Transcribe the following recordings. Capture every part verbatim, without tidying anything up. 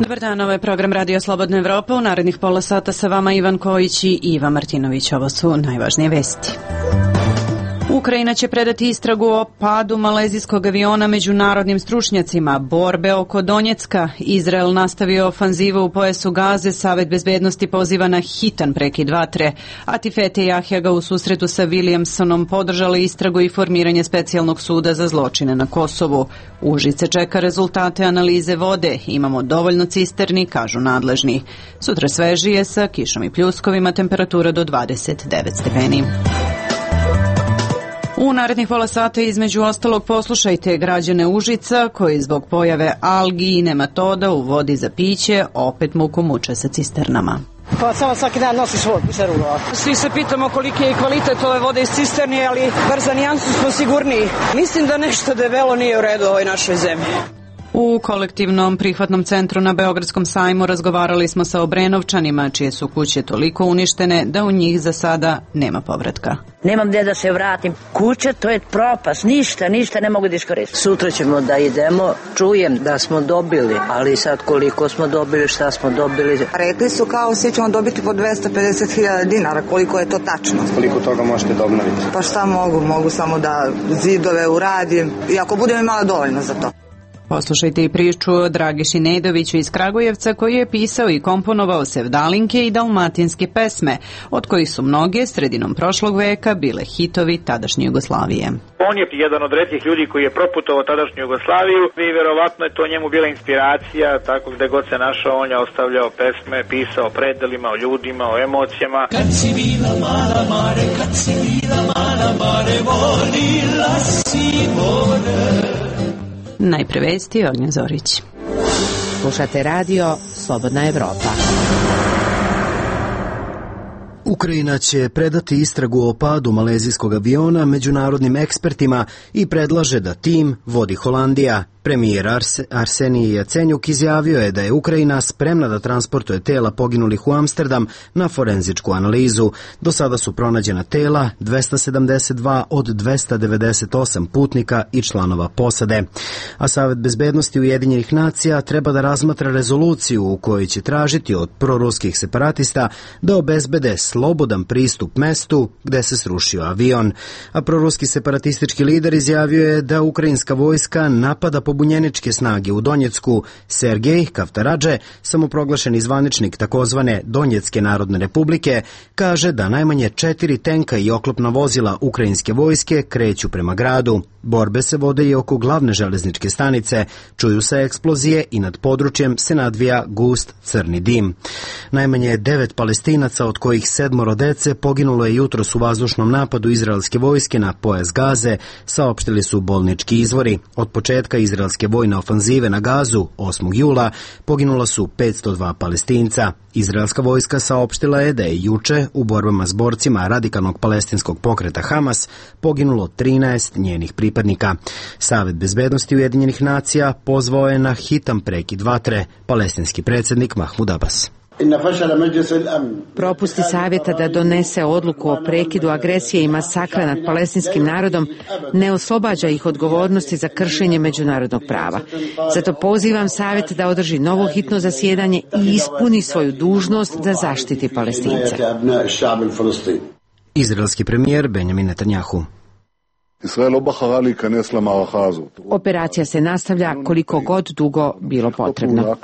Dobar dan, ovo je program Radio Slobodna Evropa. U narednih pola sata sa vama Ivan Kojić i Iva Martinović. Ovo su najvažnije vesti. Ukrajina će predati istragu o padu malezijskog aviona međunarodnim stručnjacima. Borbe oko Donjecka. Izrael nastavio ofanzivu u pojasu Gaze. Savet bezbednosti poziva na hitan prekid vatre. Atifete Jahjaga u susretu sa Williamsonom podržali istragu i formiranje specijalnog suda za zločine na Kosovu. Užice čeka rezultate analize vode. Imamo dovoljno cisterni, kažu nadležni. Sutra svežije sa kišom i pljuskovima, temperatura do dvadeset devet stepeni. U narednih pola sata između ostalog poslušajte građane Užica koji zbog pojave algi i nematoda u vodi za piće opet muku muče sa cisternama. Pa samo svaki dan nosiš vodu, cisternu. Svi se pitamo koliki je kvalitet ove vode iz cisterni, ali bar za nijansu smo sigurniji. Mislim da nešto debelo nije u redu u ovoj našoj zemlji. U kolektivnom prihvatnom centru na Beogradskom sajmu razgovarali smo sa Obrenovčanima, čije su kuće toliko uništene da u njih za sada nema povratka. Nemam gdje da se vratim. Kuća, to je propast, ništa, ništa ne mogu da iskoristim. Sutra ćemo da idemo, čujem da smo dobili, ali sad koliko smo dobili, šta smo dobili. Rekli su kao svi ćemo dobiti po dvesta pedeset hiljada dinara, koliko je to tačno? Koliko toga možete da obnoviti? Pa šta mogu, mogu samo da zidove uradim i ako budem imala dovoljno za to. Poslušajte i priču o Dragiši Nedoviću iz Kragujevca koji je pisao i komponovao sevdalinke i dalmatinske pesme, od kojih su mnoge sredinom prošlog veka bile hitovi tadašnje Jugoslavije. On je jedan od retkih ljudi koji je proputovao tadašnju Jugoslaviju i verovatno je to njemu bila inspiracija, tako gde god se našao on je ostavljao pesme, pisao o predelima, o ljudima, o emocijama. Kad si bila mala mare, kad si bila mala mare, volila si more. Najpre vesti, Ognjen Zorić. Slušate radio Slobodna Evropa. Ukrajina će predati istragu o padu malezijskog aviona međunarodnim ekspertima i predlaže da tim vodi Holandija. Premijer Arse, Arsenij Jacenjuk izjavio je da je Ukrajina spremna da transportuje tela poginulih u Amsterdam na forenzičku analizu. Do sada su pronađena tela dvesta sedamdeset dva od dvesta devedeset osam putnika i članova posade. A Savet bezbednosti Ujedinjenih nacija treba da razmatra rezoluciju u kojoj će tražiti od proruskih separatista da obezbede slobodan pristup mestu gde se srušio avion. A proruski separatistički lider izjavio je da ukrajinska vojska napada pobunjeničke snage u Donjecku. Sergej Kavtaradže, samoproglašeni zvaničnik takozvane Donjecke narodne republike, kaže da najmanje četiri tenka i oklopna vozila ukrajinske vojske kreću prema gradu. Borbe se vode i oko glavne železničke stanice, čuju se eksplozije i nad područjem se nadvija gust crni dim. Najmanje devet Palestinaca, od kojih sedmoro dece, poginulo je jutros u vazdušnom napadu izraelske vojske na pojas Gaze, saopštili su bolnički izvori. Od početka izraelske vojne ofanzive na Gazu, osmog jula, poginula su petsto dva Palestinca. Izraelska vojska saopštila je da je juče u borbama s borcima radikalnog palestinskog pokreta Hamas poginulo trinaest njenih pripadnika. Savet bezbednosti Ujedinjenih nacija pozvao je na hitan prekid vatre, palestinski predsjednik Mahmud Abbas. Propusti savjeta da donese odluku o prekidu agresije i masakra nad palestinskim narodom ne oslobađa ih odgovornosti za kršenje međunarodnog prava. Zato pozivam savjet da održi novo hitno zasjedanje i ispuni svoju dužnost da zaštiti Palestince. Izraelski premijer Benjamin Netanjahu. Operacija se nastavlja koliko god dugo bilo potrebno.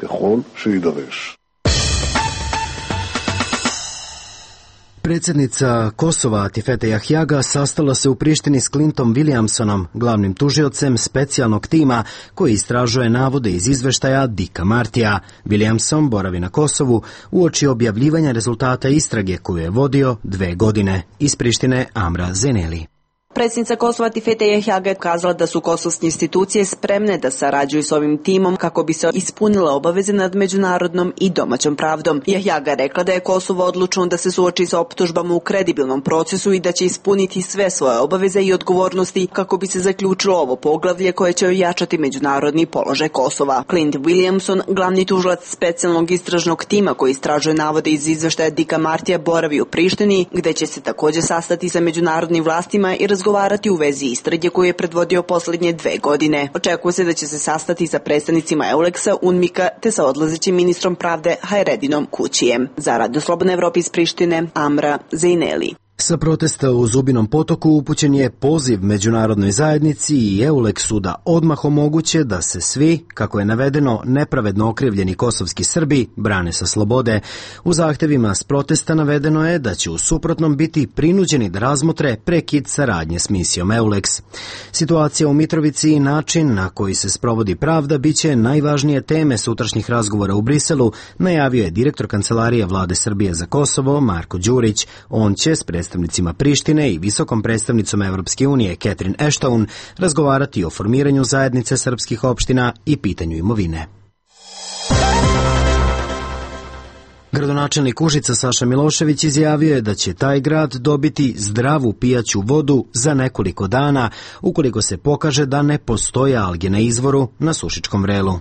Predsjednica Kosova Atifete Jahjaga sastala se u Prištini s Clintom Williamsonom, glavnim tužiocem specijalnog tima koji istražuje navode iz izveštaja Dicka Martija. Williamson boravi na Kosovu uoči objavljivanja rezultata istrage koju je vodio dve godine. Iz Prištine Amra Zeneli. Predsjednica Kosova Atifete Jahjaga je kazala da su kosovske institucije spremne da sarađuju s ovim timom kako bi se ispunile obaveze nad međunarodnom i domaćom pravdom. Jahjaga je rekla da je Kosovo odlučno da se suoči sa optužbama u kredibilnom procesu i da će ispuniti sve svoje obaveze i odgovornosti kako bi se zaključilo ovo poglavlje koje će ojačati međunarodni položaj Kosova. Clint Williamson, glavni tužilac specijalnog istražnog tima koji istražuje navode iz izveštaja Dicka Martija, boravi u Prištini, gde će se također sastati sa međunarodnim vlastima i razgovarati razgovarati u vezi istrage koju je predvodio posljednje dve godine. Očekuje se da će se sastati sa predstavnicima Euleksa, UNMIK-a te sa odlazećim ministrom pravde Hajredinom Kućijem. Za Radio Slobodna Evropa iz Prištine, Amra Zejneli. Sa protesta u Zubinom potoku upućen je poziv međunarodnoj zajednici i Euleksu da odmah omoguće da se svi, kako je navedeno, nepravedno okrivljeni kosovski Srbi brane sa slobode. U zahtevima s protesta navedeno je da će u suprotnom biti prinuđeni da razmotre prekid saradnje s misijom Euleks. Situacija u Mitrovici i način na koji se sprovodi pravda biće najvažnije teme sutrašnjih razgovora u Briselu, najavio je direktor Kancelarije Vlade Srbije za Kosovo Marko Đurić. On će s predstavnicima Prištine i visokom predstavnicom Evropske unije Catherine Ashton razgovarati o formiranju zajednice srpskih opština i pitanju imovine. Gradonačelnik Užica Saša Milošević izjavio je da će taj grad dobiti zdravu pijaću vodu za nekoliko dana ukoliko se pokaže da ne postoje alge na izvoru na Sušičkom vrelu.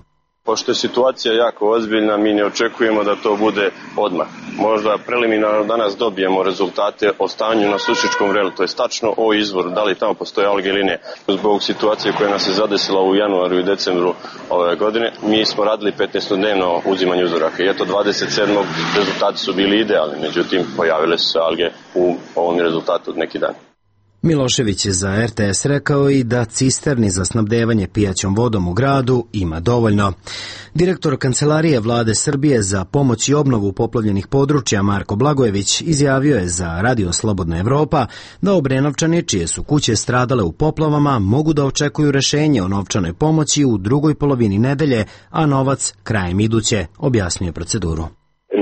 Pošto je situacija jako ozbiljna, mi ne očekujemo da to bude odmah. Možda preliminarno danas dobijemo rezultate o stanju na Sušičkom vrelu, to je tačno o izvoru, da li tamo postoje alge ili ne. Zbog situacije koja nas je zadesila u januaru i decembru ove godine, mi smo radili petnaestodnevno uzimanje uzoraka i eto dvadeset sedmog rezultati su bili idealni, međutim pojavile su se alge u ovom rezultatu od neki dan. Milošević je za R T S rekao i da cisterni za snabdevanje pijaćom vodom u gradu ima dovoljno. Direktor Kancelarije Vlade Srbije za pomoć i obnovu poplavljenih područja Marko Blagojević izjavio je za Radio Slobodna Evropa da Obrenovčani, čije su kuće stradale u poplavama, mogu da očekuju rešenje o novčanoj pomoći u drugoj polovini nedelje, a novac krajem iduće, objasnio proceduru.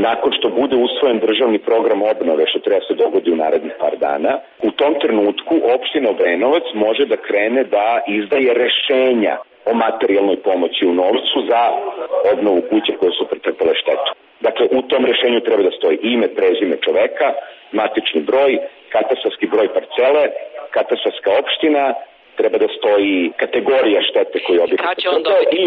Nakon što bude usvojen državni program obnove, što treba se dogodi u narednih par dana, u tom trenutku opština Obrenovac može da krene da izdaje rešenja o materijalnoj pomoći u novcu za obnovu kuće koje su pretrpele štetu. Dakle, u tom rešenju treba da stoji ime, prezime čoveka, matični broj, katastarski broj parcele, katastarska opština, treba da stoji kategorija štete koju objekat pretrpeo i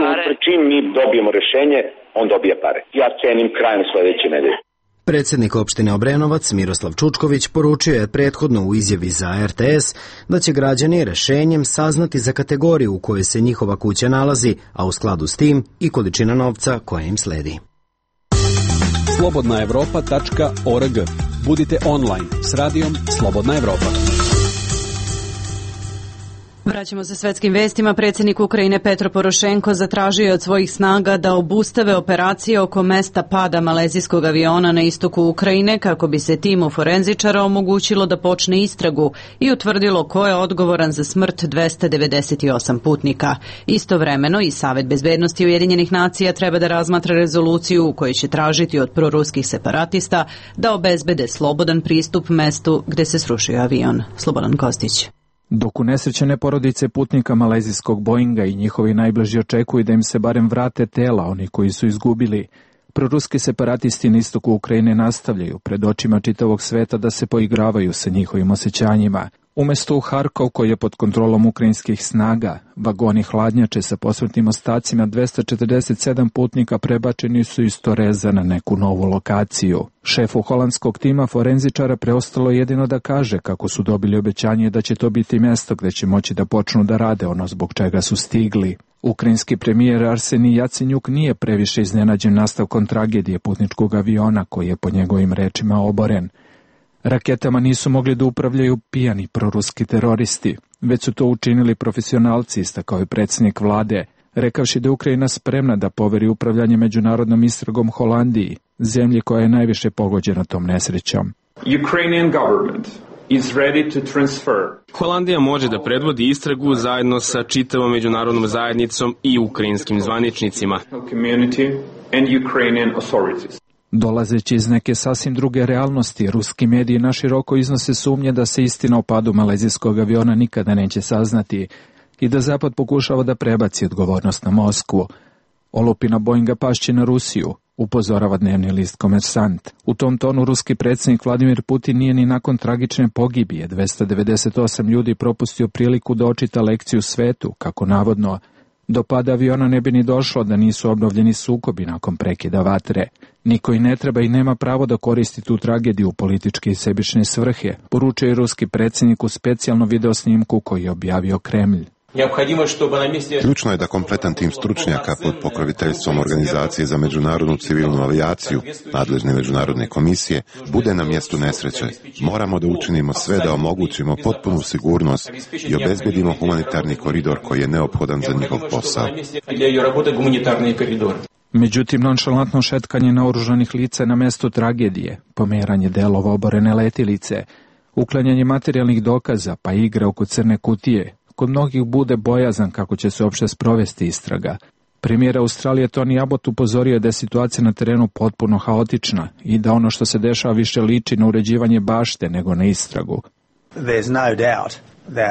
čim mi dobijemo rešenje, on dobija pare. Ja cenim krajem sledeće nedelje. Predsjednik opštine Obrenovac Miroslav Čučković poručio je prethodno u izjavi za R T S da će građani rešenjem saznati za kategoriju u kojoj se njihova kuća nalazi, a u skladu s tim i količina novca koja im sledi. slobodna evropa tačka org. Budite online s radijom Slobodna Evropa. Vraćamo se svetskim vestima. Predsjednik Ukrajine Petro Porošenko zatražio je od svojih snaga da obustave operacije oko mesta pada malezijskog aviona na istoku Ukrajine kako bi se timu forenzičara omogućilo da počne istragu i utvrdilo ko je odgovoran za smrt dvesta devedeset osam putnika. Istovremeno i Savet bezbednosti Ujedinjenih nacija treba da razmatra rezoluciju u kojoj će tražiti od proruskih separatista da obezbede slobodan pristup mestu gde se srušio avion. Slobodan Kostić. Dok unesrećene porodice putnika malezijskog Boeinga i njihovi najbliži očekuju da im se barem vrate tela oni koji su izgubili, proruski separatisti na istoku Ukrajine nastavljaju pred očima čitavog sveta da se poigravaju sa njihovim osjećanjima. Umesto u Harkov, koji je pod kontrolom ukrajinskih snaga, vagoni hladnjače sa posmrtnim ostacima dvesta četrdeset sedam putnika prebačeni su iz Toreza na neku novu lokaciju. Šefu holandskog tima forenzičara preostalo jedino da kaže kako su dobili obećanje da će to biti mjesto gde će moći da počnu da rade ono zbog čega su stigli. Ukrajinski premijer Arsenij Jacenjuk nije previše iznenađen nastavkom tragedije putničkog aviona koji je po njegovim rečima oboren. Raketama nisu mogli da upravljaju pijani proruski teroristi, već su to učinili profesionalci, istakao je predsjednik vlade, rekavši da je Ukrajina spremna da poveri upravljanje međunarodnom istragom Holandiji, zemlji koja je najviše pogođena tom nesrećom. Ukrainian government is ready to transfer. Holandija može da predvodi istragu zajedno sa čitavom međunarodnom zajednicom i ukrajinskim zvaničnicima. And Ukrainian authorities. Dolazeći iz neke sasvim druge realnosti, ruski mediji naširoko iznose sumnje da se istina o padu malezijskog aviona nikada neće saznati i da Zapad pokušava da prebaci odgovornost na Moskvu. Olupina Boeinga pašće na Rusiju, upozorava dnevni list Komersant. U tom tonu ruski predsjednik Vladimir Putin nije ni nakon tragične pogibije dvesta devedeset osam ljudi propustio priliku da očita lekciju svetu, kako navodno do pada aviona ne bi ni došlo da nisu obnovljeni sukobi nakon prekida vatre. Niko i ne treba i nema pravo da koristi tu tragediju u političke i sebične svrhe, poručio je ruski predsjednik u specijalnom videosnimku koji je objavio Kremlj. Ključno je da kompletan tim stručnjaka pod pokroviteljstvom Organizacije za međunarodnu civilnu avijaciju, nadležne međunarodne komisije, bude na mjestu nesreće. Moramo da učinimo sve da omogućimo potpunu sigurnost i obezbedimo humanitarni koridor koji je neophodan za njihov posao. Međutim, nonšalantno šetkanje naoružanih lica na mjestu tragedije, pomeranje delova oborene letilice, uklanjanje materijalnih dokaza pa igre oko crne kutije, kod mnogih bude bojazan kako će se uopšte sprovesti istraga. Premijer Australije Tony Abbott upozorio da je situacija na terenu potpuno haotična i da ono što se dešava više liči na uređivanje bašte nego na istragu.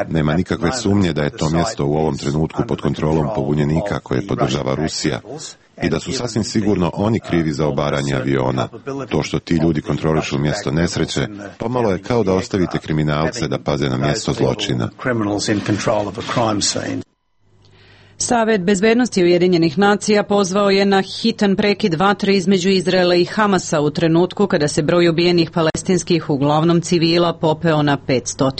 Nema nikakve sumnje da je to mjesto u ovom trenutku pod kontrolom pobunjenika koje podržava Rusija i da su sasvim sigurno oni krivi za obaranje aviona. To što ti ljudi kontrolišu mjesto nesreće, pomalo je kao da ostavite kriminalce da paze na mjesto zločina. Savet bezbednosti Ujedinjenih nacija pozvao je na hitan prekid vatre između Izraela i Hamasa u trenutku kada se broj ubijenih palestinskih, uglavnom civila, popeo na petsto.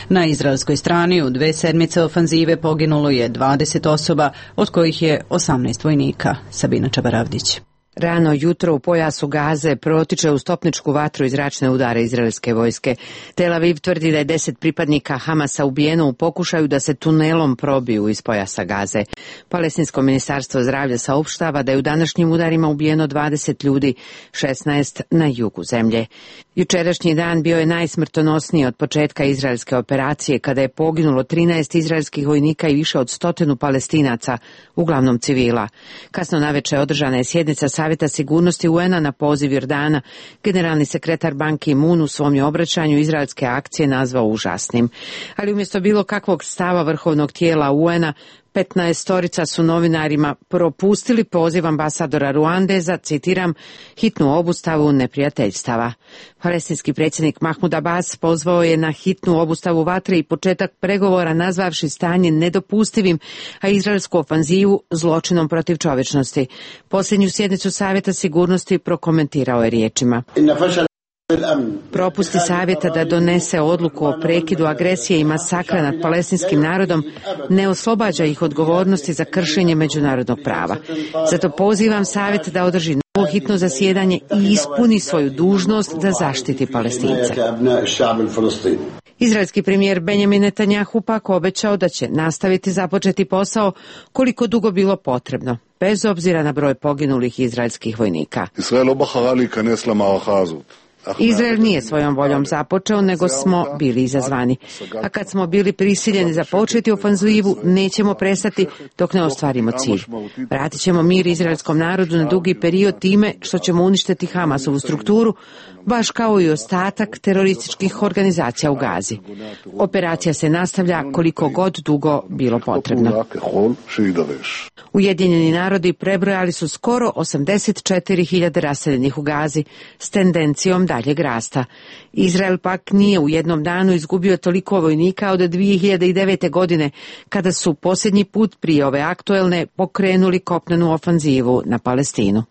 Na izraelskoj strani u dve sedmice ofanzive poginulo je dvadeset osoba, od kojih je osamnaest vojnika. Sabina Čabaravdić. Rano jutro u pojasu Gaze protiče u stopničku vatru i zračne udare izraelske vojske. Tel Aviv tvrdi da je deset pripadnika Hamasa ubijeno u pokušaju da se tunelom probiju iz pojasa Gaze. Palestinsko ministarstvo zdravlja saopštava da je u današnjim udarima ubijeno dvadeset ljudi, šesnaest na jugu zemlje. Jučerašnji dan bio je najsmrtonosniji od početka izraelske operacije, kada je poginulo trinaest izraelskih vojnika i više od stotinu Palestinaca, uglavnom civila. Kasno naveče održana je sjednica Savjeta sigurnosti U N-a na poziv Jordana. Generalni sekretar Ban Ki-moon u svom je obraćanju izraelske akcije nazvao užasnim. Ali umjesto bilo kakvog stava vrhovnog tijela U N-a, petnaestorica su novinarima propustili poziv ambasadora Ruande za, citiram, hitnu obustavu neprijateljstava. Palestinski predsjednik Mahmud Abbas pozvao je na hitnu obustavu vatre i početak pregovora, nazvavši stanje nedopustivim, a izraelsku ofanzivu zločinom protiv čovječnosti. Posljednju sjednicu Savjeta sigurnosti prokomentirao je riječima: propusti savjeta da donese odluku o prekidu agresije i masakra nad palestinskim narodom ne oslobađa ih odgovornosti za kršenje međunarodnog prava. Zato pozivam savjet da održi novo hitno zasjedanje i ispuni svoju dužnost da zaštiti Palestince. Izraelski premijer Benjamin Netanjahu pak obećao da će nastaviti započeti posao koliko dugo bilo potrebno, bez obzira na broj poginulih izraelskih vojnika. Izrael nije svojom voljom započeo, nego smo bili izazvani. A kad smo bili prisiljeni započeti ofanzivu, nećemo prestati dok ne ostvarimo cilj. Vratit ćemo mir izraelskom narodu na dugi period time što ćemo uništiti Hamasovu strukturu, baš kao i ostatak terorističkih organizacija u Gazi. Operacija se nastavlja koliko god dugo bilo potrebno. Ujedinjeni narodi prebrojali su skoro osamdeset četiri hiljade raseljenih u Gazi s tendencijom daljeg rasta. Izrael pak nije u jednom danu izgubio toliko vojnika od dvije hiljade devete. godine, kada su posljednji put prije ove aktuelne pokrenuli kopnenu ofanzivu na Palestinu.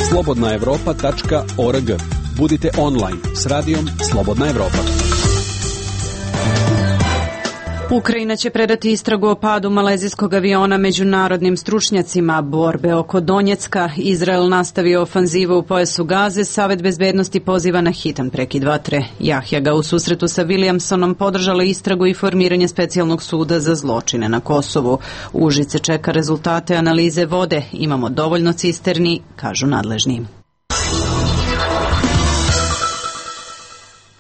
slobodna evropa tačka org. Budite online s radijom Slobodna Evropa. Ukrajina će predati istragu o padu malezijskog aviona međunarodnim stručnjacima borbe oko Donjecka. Izrael nastavio ofanzivu u pojasu Gaze. Savet bezbednosti poziva na hitan prekid vatre. Jahja ga u susretu sa Williamsonom podržala istragu i formiranje specijalnog suda za zločine na Kosovu. Užice čeka rezultate analize vode. Imamo dovoljno cisterni, kažu nadležni.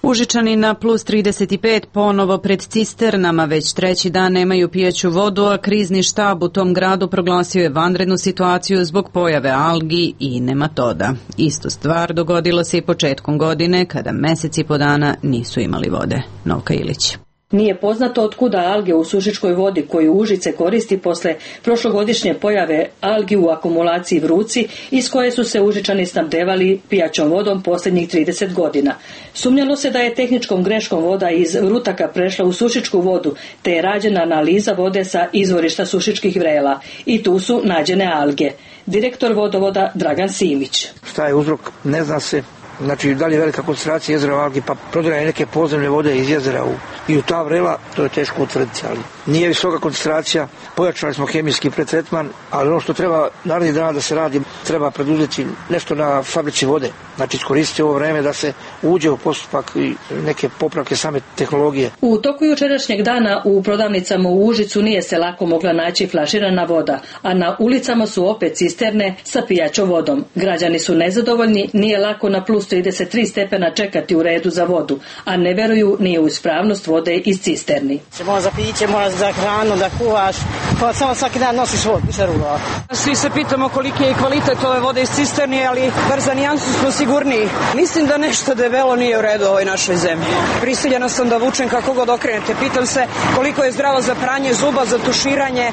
Užičani na plus trideset pet ponovo pred cisternama, već treći dan nemaju pijaću vodu, a krizni štab u tom gradu proglasio je vanrednu situaciju zbog pojave algi i nematoda. Istu stvar dogodilo se i početkom godine, kada meseci po dana nisu imali vode. Novka Ilić. Nije poznato od kuda alge u sušičkoj vodi koju Užice koristi posle prošlogodišnje pojave algi u akumulaciji Vruci, iz koje su se Užičani snabdevali pijaćom vodom posljednjih trideset godina. Sumnjalo se da je tehničkom greškom voda iz Vrutaka prešla u sušičku vodu, te je rađena analiza vode sa izvorišta sušičkih vrela i tu su nađene alge. Direktor vodovoda Dragan Simić. Šta je uzrok? Ne zna se. Znači, da li je velika koncentracija jezera u algi, pa prodiraje neke podzemne vode iz jezera u, i u ta vrela, to je teško utvrditi, ali nije visoka koncentracija, pojačali smo hemijski pretretman, ali ono što treba narednih dana da se radi, treba preduzeti nešto na fabrici vode, znači iskoristiti ovo vreme da se uđe u postupak i neke popravke same tehnologije. U toku jučerašnjeg dana u prodavnicama u Užicu nije se lako mogla naći flaširana voda, a na ulicama su opet cisterne sa pijaćom vodom. Građani su nezadovoljni, nije lako na plus trideset tri stepena čekati u redu za vodu, a ne veruju ni u ispravnost vode iz cisterni. Mora za piće, mora za hranu, da kuvaš, pa samo svaki dan nosiš vodu, više rulova. Svi se pitamo koliki je kvalitet ove vode iz cisterni, ali bar za nijansu smo sigurniji. Mislim da nešto debelo nije u redu u ovoj našoj zemlji. Prisiljena sam da vučem kako god okrenete. Pitam se koliko je zdravo za pranje zuba, za tuširanje.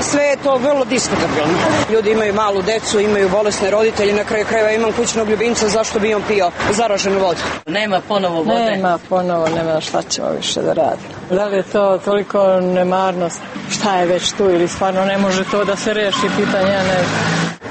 Sve je to vrlo diskutabilno. Ljudi imaju malu decu, imaju bolesne roditelje, na kraju krajeva imam kućnog ljubimca, zašto bi on pio zaraženu vodu? Nema ponovo vode. Nema ponovo, nema šta ćemo više da radimo. Da li je to toliko nemarnost? Šta je već tu ili stvarno ne može to da se reši pitanje? Ne.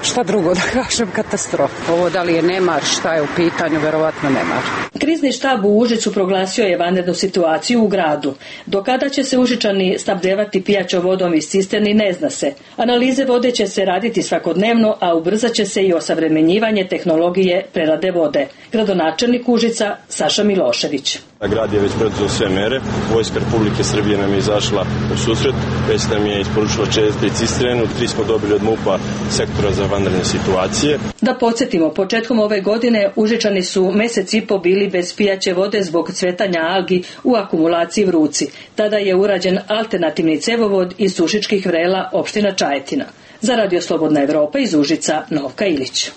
Šta drugo da kažem, katastrofa. Ovo da li je nemar, šta je u pitanju, verovatno nemar. Krizni štab u Užicu proglasio je vanrednu situaciju u gradu. Do kada će se Užičani snabdevati pijaćom vodom iz cisterni ne zna se. Analize vode će se raditi svakodnevno, a ubrzat će se i osavremenjivanje tehnologije prerade vode. Gradonačelnik Užica Saša Milošević. Grad je već preduzeo sve mere. Vojska Republike Srbije nam je izašla u susret, već nam je isporučila četiri cisternu, tri smo dobili od MUP-a sektora za vanredne situacije. Da podsjetimo, početkom ove godine Užičani su mesec i po bili bez pijaće vode zbog cvetanja algi u akumulaciji Vruci. Tada je urađen alternativni cevovod iz sušičkih vrela opština Čajetina. Za Radio Slobodna Evropa iz Užica, Novka Ilić.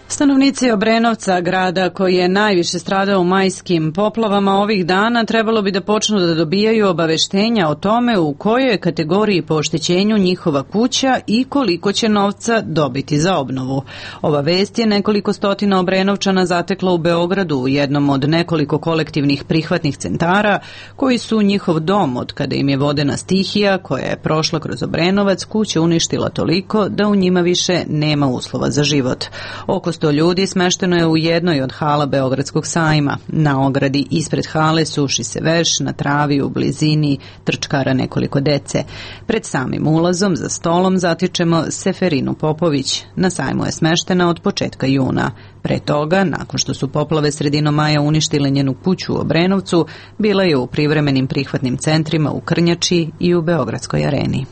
Stanovnici Obrenovca, grada koji je najviše stradao u majskim poplavama ovih dana, trebalo bi da počnu da dobijaju obaveštenja o tome u kojoj je kategoriji po oštećenju njihova kuća i koliko će novca dobiti za obnovu. Ova vest je nekoliko stotina Obrenovčana zatekla u Beogradu u jednom od nekoliko kolektivnih prihvatnih centara koji su njihov dom od kada im je vodena stihija koja je prošla kroz Obrenovac kuće uništila toliko da u njima više nema uslova za život. Oko sto ljudi smešteno je u jednoj od hala Beogradskog sajma. Na ogradi ispred hale suši se veš, na travi u blizini trčkara nekoliko dece. Pred samim ulazom za stolom zatičemo Seferinu Popović. Na sajmu je smeštena od početka juna. Pre toga, nakon što su poplave sredinom maja uništile njenu kuću u Obrenovcu, bila je u privremenim prihvatnim centrima u Krnjači i u Beogradskoj areni.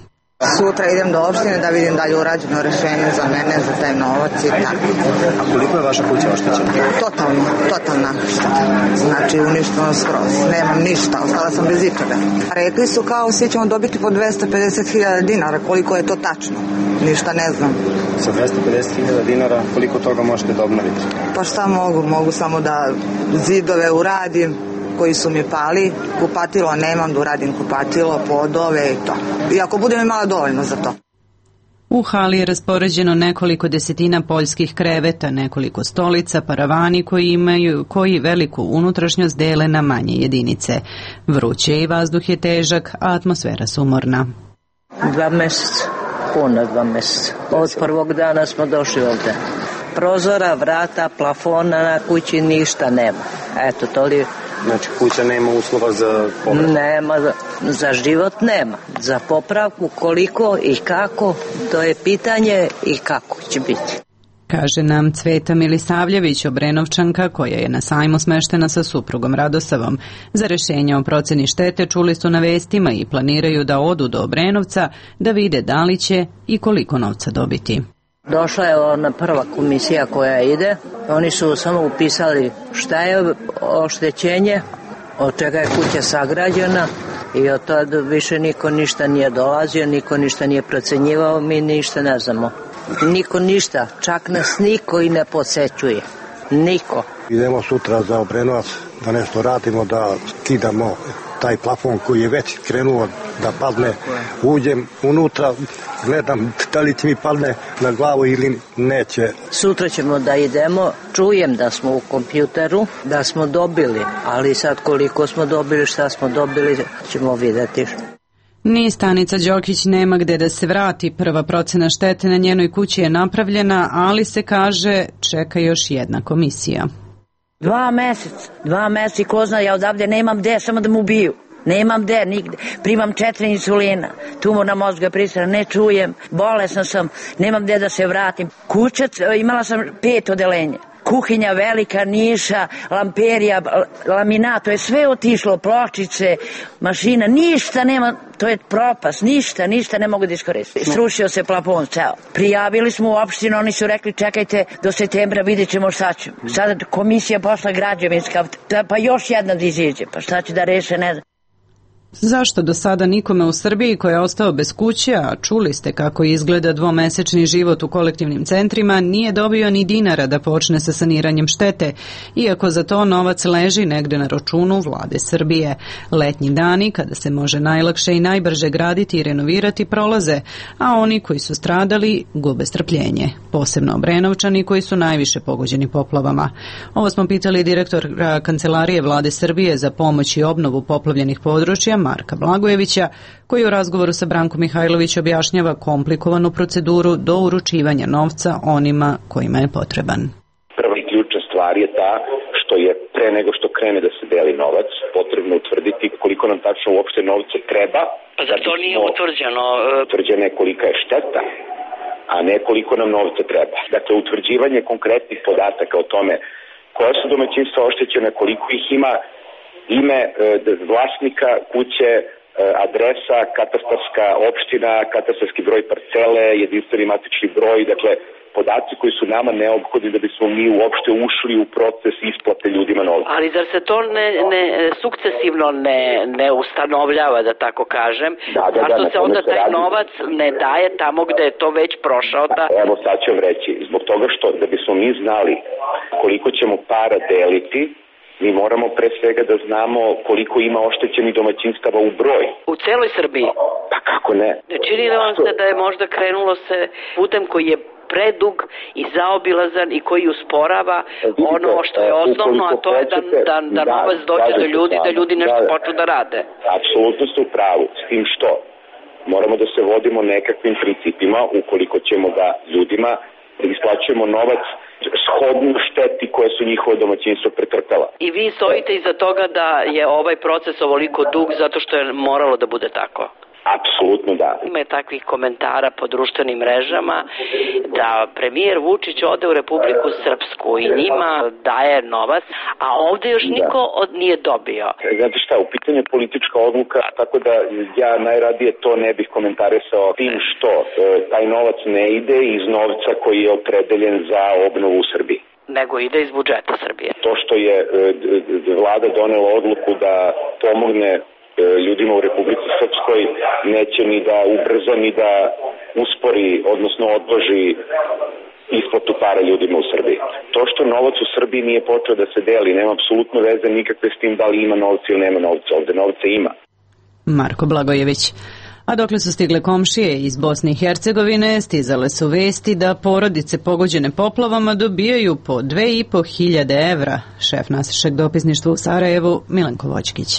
Sutra idem do opštine da vidim da li je urađeno rešenje za mene, za taj novac i tako. A koliko je vaša kuća oštećena? Totalno, totalna šteta. Znači uništeno skroz. Nemam ništa, ostala sam bez ičega. Rekli su kao svi ćemo dobiti po dvesta pedeset hiljada dinara, koliko je to tačno? Ništa ne znam. Sa dvesta pedeset hiljada dinara koliko toga možete da obnovite? Pa šta mogu? Mogu samo da zidove uradim koji su mi pali, kupatilo nemam, da uradim kupatilo, podove i to. I ako budem imala dovoljno za to. U hali je raspoređeno nekoliko desetina poljskih kreveta, nekoliko stolica, paravani koji imaju koji veliku unutrašnjost dele na manje jedinice. Vruće i vazduh je težak, a atmosfera sumorna. Dva meseca, puna dva meseca. Od prvog dana smo došli ovde. Prozora, vrata, plafona na kući ništa nema. Eto, to li... Znači, kuća nema uslova za popravku? Nema, za život nema. Za popravku koliko i kako, to je pitanje i kako će biti. Kaže nam Cveta Milisavljević, Obrenovčanka, koja je na sajmu smeštena sa suprugom Radosavom. Za rešenje o proceni štete čuli su na vestima i planiraju da odu do Obrenovca da vide da li će i koliko novca dobiti. Došla je ona prva komisija koja ide. Oni su samo upisali šta je oštećenje, od čega je kuća sagrađena i od tada više niko ništa nije dolazio, niko ništa nije procenjivao, mi ništa ne znamo. Niko ništa, čak nas niko i ne posećuje. Niko. Idemo sutra za Obrenovac da nešto radimo, da skidamo taj plafon koji je već krenuo da padne. Uđem unutra, gledam da li će mi padne na glavu ili neće. Sutra ćemo da idemo, čujem da smo u kompjuteru, da smo dobili, ali sad koliko smo dobili, šta smo dobili, ćemo vidjeti. Ni Stanica Đokić nema gde da se vrati. Prva procena štete na njenoj kući je napravljena, ali se kaže čeka još jedna komisija. Dva meseca, dva meseca i ko zna, ja odavde nemam gde, samo da mu ubiju. Nemam gde, nigde. Primam četiri insulina, tumorna mozga prisana, ne čujem, bolesna sam, nemam gde da se vratim. Kuća, imala sam pet odelenja. Kuhinja velika, niša, lamperija, laminat, to je sve otišlo, pločice, mašina, ništa nema, to je propast, ništa, ništa ne mogu da iskoristim. Srušio se plafon, ceo. Prijavili smo u opštinu, oni su rekli čekajte do septembra, vidjet ćemo šta ćemo. Sada komisija pošla građevinska, pa još jedna da iziđe, pa šta će da reše, ne znam. Zašto do sada nikome u Srbiji koji je ostao bez kuće, a čuli ste kako izgleda dvomesečni život u kolektivnim centrima, nije dobio ni dinara da počne sa saniranjem štete, iako za to novac leži negde na računu vlade Srbije. Letnji dani, kada se može najlakše i najbrže graditi i renovirati, prolaze, a oni koji su stradali gube strpljenje, posebno Obrenovčani koji su najviše pogođeni poplavama. Ovo smo pitali direktora Kancelarije vlade Srbije za pomoć i obnovu poplavljenih područja, Marka Blagojevića, koji u razgovoru sa Brankom Mihajlović objašnjava komplikovanu proceduru do uručivanja novca onima kojima je potreban. Prva i ključna stvar je ta što je pre nego što krene da se deli novac, potrebno utvrditi koliko nam tačno uopšte novca treba. Pa zar to nije utvrđeno? Utvrđeno je kolika je šteta, a ne koliko nam novca treba. Dakle, utvrđivanje konkretnih podataka o tome koja su domaćinstva oštećena, koliko ih ima, ime e, vlasnika kuće, e, adresa, katastarska opština, katastarski broj parcele, jedinstveni matični broj, dakle podaci koji su nama neophodni da bismo mi uopšte ušli u proces isplate ljudima novca. Ali zar se to ne, ne sukcesivno ne, ne ustanovljava, da tako kažem? Da, da, zašto da, se onda taj radi. novac ne daje tamo gde je to već prošao? Da... Evo sad ću vam reći, zbog toga što da bismo mi znali koliko ćemo para deliti, mi moramo pre svega da znamo koliko ima oštećenih domaćinstava u broj. U celoj Srbiji? Pa kako ne? Ne čini li vam se da je možda krenulo se putem koji je predug i zaobilazan i koji usporava vidite, ono što je osnovno, a to je da, da, da novac dođe do ljudi, da ljudi nešto da, počnu da rade? Apsolutno ste u pravu, s tim što moramo da se vodimo nekakvim principima ukoliko ćemo da ljudima isplaćujemo novac shodno šteti koje su njihova domaćinstva pretrpela. I vi stojite iza toga da je ovaj proces ovoliko dug zato što je moralo da bude tako? Apsolutno da. Ima je takvih komentara po društvenim mrežama da premijer Vučić ode u Republiku Srpsku i njima daje novac, a ovde još niko od nije dobio. Znate šta, u pitanju je politička odluka, tako da ja najradije to ne bih komentarisao tim što e, taj novac ne ide iz novca koji je opredeljen za obnovu u Srbiji. Nego ide iz budžeta Srbije. To što je e, vlada donela odluku da pomogne ljudima u Republici Srpskoj neće ni da ubrza ni da uspori, odnosno odloži isplatu para ljudima u Srbiji. To što novac u Srbiji nije počeo da se deli, nema apsolutno veze nikakve s tim da li ima novca ili nema novca. Ovde novca ima. Marko Blagojević. A dokle su stigle komšije iz Bosne i Hercegovine, stizale su vesti da porodice pogođene poplavama dobijaju po dve i po hiljade evra. Šef našeg dopisništva u Sarajevu, Milenko Voćkić.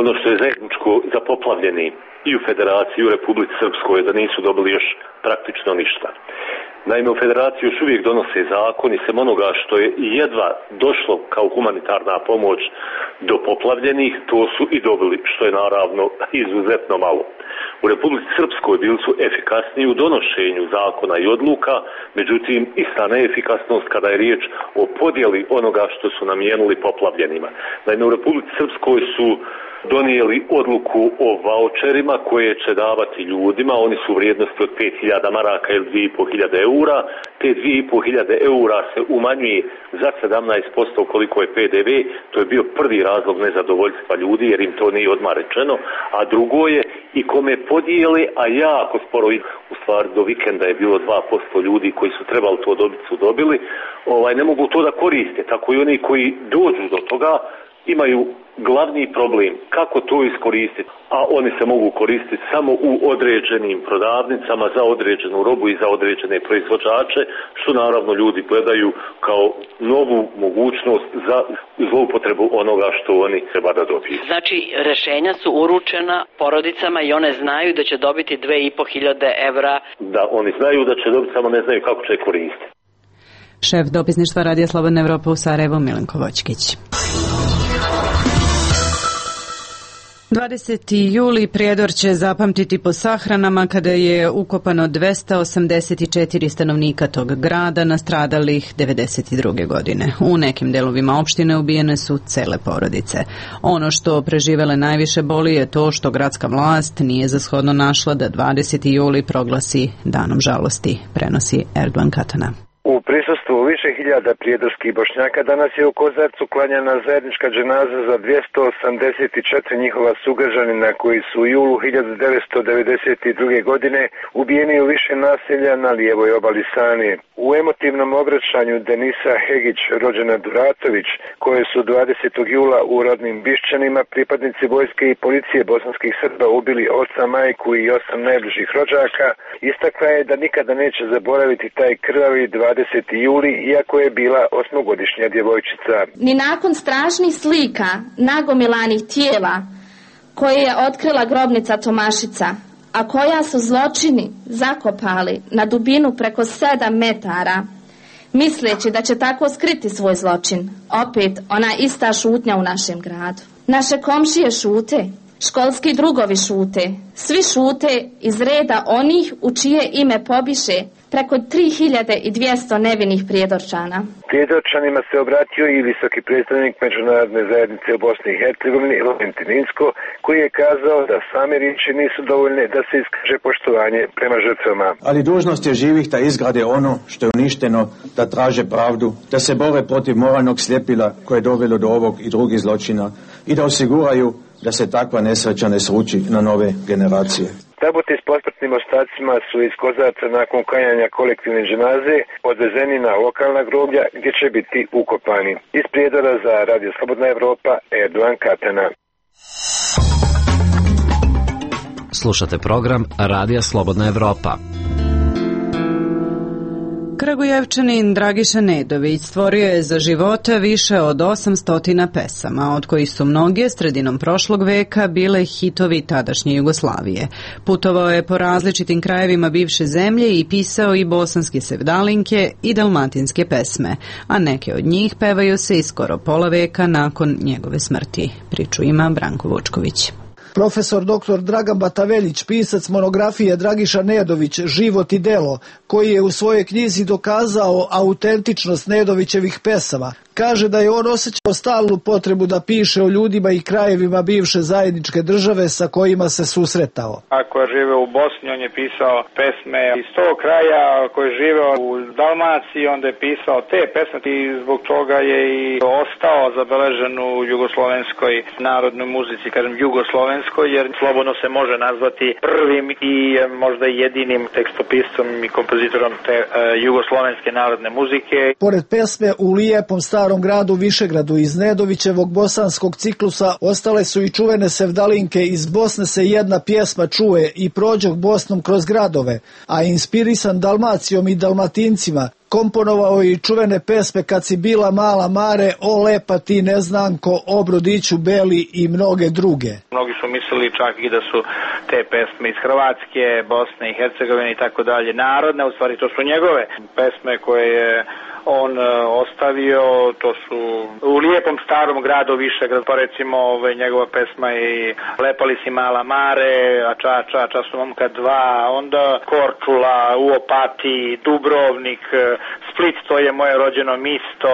Ono što je zajedničko za poplavljeni i u Federaciji i u Republici Srpskoj je da nisu dobili još praktično ništa. Naime, u Federaciji još uvijek donose zakon i sem onoga što je jedva došlo kao humanitarna pomoć do poplavljenih, to su i dobili, što je naravno izuzetno malo. U Republici Srpskoj bili su efikasniji u donošenju zakona i odluka, međutim ista neefikasnost kada je riječ o podjeli onoga što su namijenili poplavljenima. Naime, u Republici Srpskoj su donijeli odluku o vaučerima koje će davati ljudima, oni su u vrijednosti od pet hiljada maraka ili dvije i po hiljade eura, te dvije i po hiljade eura se umanjuje za sedamnaest posto koliko je P D V, to je bio prvi razlog nezadovoljstva ljudi jer im to nije odmah rečeno, a drugo je i kome podijele, a jako sporo, u stvari do vikenda je bilo dva posto ljudi koji su trebali to dobiti su dobili, ovaj, ne mogu to da koriste, tako i oni koji dođu do toga imaju glavni problem kako to iskoristiti, a oni se mogu koristiti samo u određenim prodavnicama za određenu robu i za određene proizvođače, što naravno ljudi gledaju kao novu mogućnost za zloupotrebu onoga što oni treba da dobiju. Znači, rešenja su uručena porodicama i one znaju da će dobiti dve i po hiljade evra. Da, oni znaju da će dobiti, samo ne znaju kako će koristiti. Šef dopisništva Radija Slobodna Evropa u Sarajevu, Milenko Voćkić. dvadesetog jula Prijedor će zapamtiti po sahranama kada je ukopano dvesta osamdeset četiri stanovnika tog grada nastradalih devedeset druge godine. U nekim delovima opštine ubijene su cele porodice. Ono što preživele najviše boli je to što gradska vlast nije za shodno našla da dvadesetog jula proglasi danom žalosti, prenosi Erdogan Katana. U prisustvu više hiljada prijedorskih Bošnjaka danas je u Kozarcu klanjana zajednička dženaza za dvjesto osamdeset četiri njihova sugrađanina koji su u julu hiljadu devetsto devedeset druge. godine ubijeni u više naselja na lijevoj obali Sane. U emotivnom obraćanju Denisa Hegić, rođena Duratović, koje su dvadesetog jula u rodnim Bišćanima pripadnici vojske i policije bosanskih Srba ubili oca, majku i osam najbližih rođaka, istakla je da nikada neće zaboraviti taj krvavi dvadeseti juli, iako je bila osmogodišnja djevojčica. Ni nakon strašnih slika nagomilanih tijela koje je otkrila grobnica Tomašica, a koja su zločini zakopali na dubinu preko sedam metara, misleći da će tako skriti svoj zločin, opet ona ista šutnja u našem gradu. Naše komšije šute, školski drugovi šute, svi šute iz reda onih u čije ime pobiše preko tri hiljade dvjesto nevinih Prijedorčana. Prijedorčanima se obratio i visoki predstavnik međunarodne zajednice u Bosni i Hercegovini, Valentin Inzko, koji je kazao da same riječi nisu dovoljne da se iskaže poštovanje prema žrtvama. Ali dužnost je živih da izgrade ono što je uništeno, da traže pravdu, da se bore protiv moralnog sljepila koje je dovelo do ovog i drugih zločina i da osiguraju da se takva nesreća ne sruči na nove generacije. Tabuti s posmrtnim ostacima su iz Kozarca nakon klanjanja kolektivne dženaze odvezeni na lokalna groblja gdje će biti ukopani. Iz Prijedora za Radio Slobodna Evropa, Erdogan Katana. Slušate program Radija Slobodna Evropa. Kragujevčanin Dragiša Nedović stvorio je za života više od osamsto pesama, od kojih su mnoge sredinom prošlog veka bile hitovi tadašnje Jugoslavije. Putovao je po različitim krajevima bivše zemlje i pisao i bosanske sevdalinke i dalmatinske pesme, a neke od njih pevaju se i skoro pola veka nakon njegove smrti. Priču ima Branko Vučković. Profesor doktor Dragan Bataveljić, pisac monografije Dragiša Nedović, Život i delo, koji je u svojoj knjizi dokazao autentičnost Nedovićevih pesama, kaže da je on osjećao stalnu potrebu da piše o ljudima i krajevima bivše zajedničke države sa kojima se susretao. Ako je živeo u Bosni, on je pisao pesme iz tog kraja, ako je živeo u Dalmaciji, onda je pisao te pesme i zbog toga je i ostao zabeležen u jugoslovenskoj narodnoj muzici, kažem jugoslovenskoj, jer slobodno se može nazvati prvim i možda jedinim tekstopiscom i kompozitorom te uh, jugoslovenske narodne muzike. Pored pesme U lijepom starom gradu Višegradu iz Nedovićevog bosanskog ciklusa ostale su i čuvene sevdalinke Iz Bosne se jedna pjesma čuje i Prođoh Bosnom kroz gradove, a inspirisan Dalmacijom i Dalmatincima komponovao i čuvene pesme Kad si bila mala mare, O lepa ti neznanko, O brodiću beli i mnoge druge. Mnogi su mislili čak i da su te pesme iz Hrvatske, Bosne i Hercegovine i tako dalje narodne, u stvari to su njegove pesme koje je on uh, ostavio, to su U lijepom starom gradu Višegrad, pa recimo ovaj, njegova pesma i Lepali si mala mare, a ča, ča, ča su momka dva, onda Korčula, u Opatiji, Dubrovnik, Split, to je moje rođeno misto,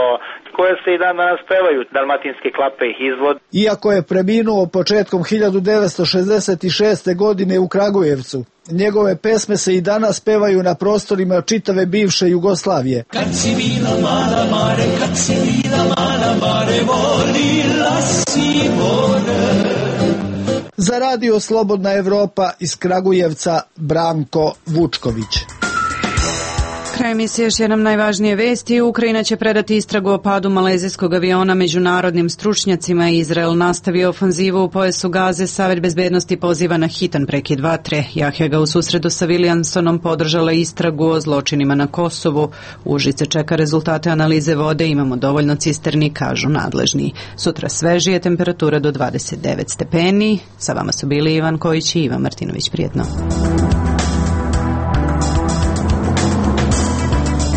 koje se i dan danas pevaju, dalmatinske klape ih izvod. Iako je preminuo početkom hiljadu devetsto šezdeset šeste. godine u Kragujevcu, njegove pesme se i danas pevaju na prostorima čitave bivše Jugoslavije. Kad si bila mala mare, kad si bila mala mare, volila si more. Za Radio Slobodna Evropa iz Kragujevca, Branko Vučković. Kraj emisije još jednom najvažnije vesti. Ukrajina će predati istragu o padu malezijskog aviona međunarodnim stručnjacima. Izrael nastavio ofanzivu u pojasu Gaze. Savet bezbednosti poziva na hitan prekid vatre. Jahja ga u susredu sa Williamsonom podržala istragu o zločinima na Kosovu. Užice čeka rezultate analize vode. Imamo dovoljno cisterni, kažu nadležni. Sutra svežije, temperatura do dvadeset devet stepeni. Sa vama su bili Ivan Kojić i Ivan Martinović. Prijetno.